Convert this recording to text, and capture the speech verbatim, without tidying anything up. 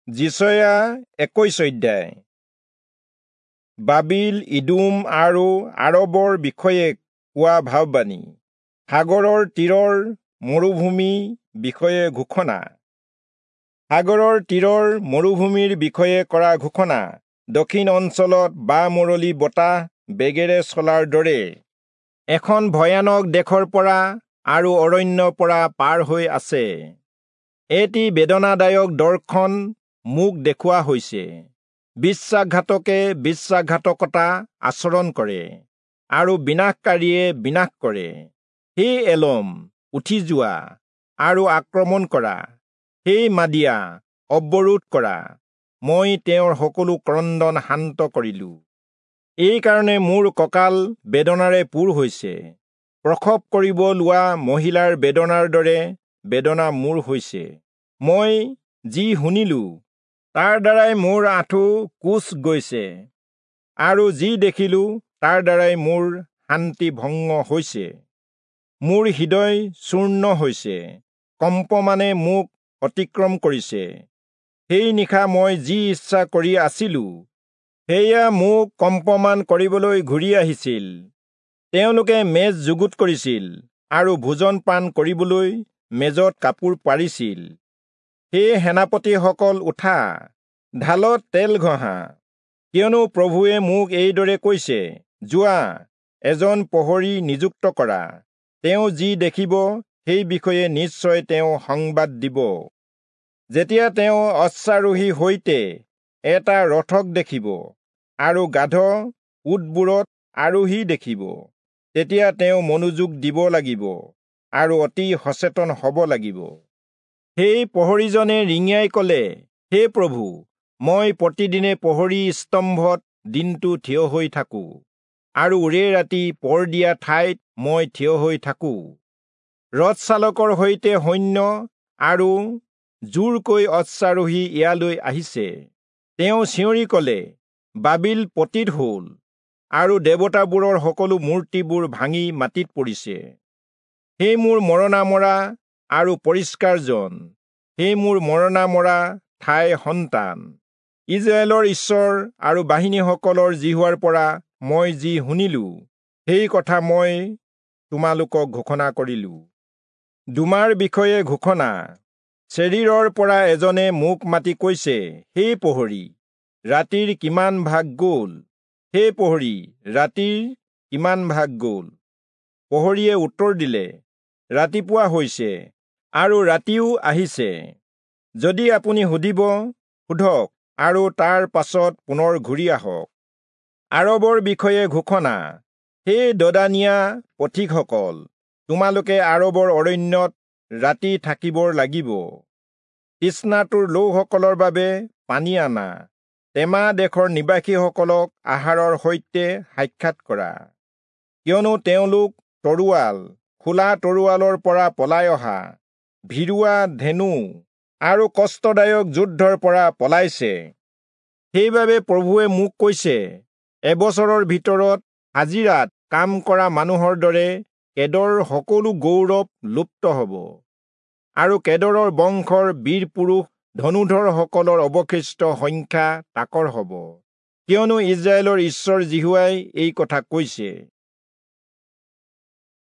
যিচয়া একৈশ অধ্যায়। বাবিল, ইদোম আৰু আৰবৰ বিষয়ে কোৱা ভাববাণী। সাগৰৰ তীৰৰ মৰুভূমি বিষয়ে ঘোষণা। সাগৰৰ তীৰৰ মৰুভূমিৰ বিষয়ে কৰা ঘোষণা। দক্ষিণ অঞ্চলত বা-মৰলি বতাহ বেগেৰে চলাৰ দৰে এখন ভয়ানক দেশৰ পৰা আৰু অৰণ্যৰ পৰা পাৰ হৈ আছে। এটি বেদনাদায়ক দৰ্শন মোক দেখুওৱা হৈছে। বিশ্বাসঘাতকে বিশ্বাসঘাতকতা আচৰণ কৰে আৰু বিনাশকাৰীয়ে বিনাশ কৰে। হে এলম, উঠি যোৱা আৰু আক্ৰমণ কৰা! হে মাদিয়া, অৱৰোধ কৰা! মই তেওঁৰ সকলো ক্ৰন্দন শান্ত কৰিলো। এইকাৰণে মোৰ কঁকাল বেদনাৰে পূৰ হৈছে। প্ৰসৱ কৰিব লোৱা মহিলাৰ বেদনাৰ দৰে বেদনা মোৰ হৈছে। মই যি শুনিলো তাৰ দ্বাৰাই মোৰ আঁঠু কোঁচ গৈছে, আৰু যি দেখিলো তাৰ দ্বাৰাই মোৰ শান্তি ভংগ হৈছে। মোৰ হৃদয় চূৰ্ণ হৈছে, কম্পমানে মোক অতিক্ৰম কৰিছে। সেই নিশা মই যি ইচ্ছা কৰি আছিলো, সেয়া মোক কম্পমান কৰিবলৈ ঘূৰি আহিছিল। তেওঁলোকে মেজ যুগুত কৰিছিল আৰু ভোজন পান কৰিবলৈ মেজত কাপোৰ পাৰিছিল। হে সেনাপতিসকল, উঠা, ঢালত তেল ঘঁহা! কিয়নো প্ৰভুৱে মোক এইদৰে কৈছে, যোৱা, এজন প্ৰহৰী নিযুক্ত কৰা। তেওঁ যি দেখিব সেই বিষয়ে নিশ্চয় তেওঁ সংবাদ দিব। যেতিয়া তেওঁ অশ্বাৰোহীৰ সৈতে এটা ৰথক দেখিব আৰু গাধ উটবোৰত আৰোহী দেখিব, তেতিয়া তেওঁ মনোযোগ দিব লাগিব আৰু অতি সচেতন হ'ব লাগিব। সেই প্ৰহৰীজনে ৰিঙিয়াই ক'লে, হে প্ৰভু, মই প্ৰতিদিনে প্ৰহৰী স্তম্ভত দিনটো থিয় হৈ থাকো আৰু ওৰে ৰাতি পৰ দিয়া ঠাইত মই থিয় হৈ থাকো। ৰথচালকৰ সৈতে সৈন্য আৰু জোৰকৈ অশ্বাৰোহী ইয়ালৈ আহিছে। তেওঁ চিঞৰি ক'লে, বাবিল পতিত হ'ল আৰু দেৱতাবোৰৰ সকলো মূৰ্তিবোৰ ভাঙি মাটিত পৰিছে। হে মোৰ মৰণা মৰা আৰু পৰিষ্কাৰ জন, হে মোৰ মৰণা মৰা ঠাইৰ সন্তান, ইস্ৰায়েলৰ ঈশ্বৰ আৰু বাহিনীসকলৰ যিহোৱাৰ পৰা মই যি শুনিলো, সেই কথা মই তোমালোকক ঘোষণা কৰিলো। দোমাৰ বিষয়ে ঘোষণা। চেৰীৰৰ পৰা এজনে মোক মাতি কৈছে, হে প্ৰহৰী, ৰাতিৰ কিমান ভাগ গ'ল? হে প্ৰহৰী, ৰাতিৰ কিমান ভাগ গ'ল? প্ৰহৰীয়ে উত্তৰ দিলে, ৰাতিপুৱা হৈছে আৰু ৰাতিও আহিছে। যদি আপুনি সুধিব, সোধক আৰু তাৰ পাছত পুনৰ ঘূৰি আহক। আৰবৰ বিষয়ে ঘোষণা। হে দদানীয়া পথিকসকল, তোমালোকে আৰবৰ অৰণ্যত ৰাতি থাকিবৰ লাগিব। তৃষ্ণাতুৰ লোকসকলৰ বাবে পানী আনা, তেমা দেশৰ নিবাসীসকলক আহাৰৰ সৈতে সাক্ষাৎ কৰা। কিয়নো তেওঁলোক তৰোৱাল, খোলা তৰোৱালৰ পৰা পলাই অহা, ভিৰুৱা ধেনু আৰু কষ্টদায়ক যুদ্ধৰ পৰা পলাইছে। সেইবাবে প্ৰভুৱে মোক কৈছে, এবছৰৰ ভিতৰত হাজিৰাত কাম কৰা মানুহৰ দৰে কেদৰৰ সকলো গৌৰৱ লুপ্ত হ'ব, আৰু কেদৰৰ বংশৰ বীৰ পুৰুষ ধনুধৰসকলৰ অৱশিষ্ট সংখ্যা তাকৰ হ'ব। কিয়নো ইস্ৰায়েলৰ ঈশ্বৰ যিহোৱাই এই কথা কৈছে।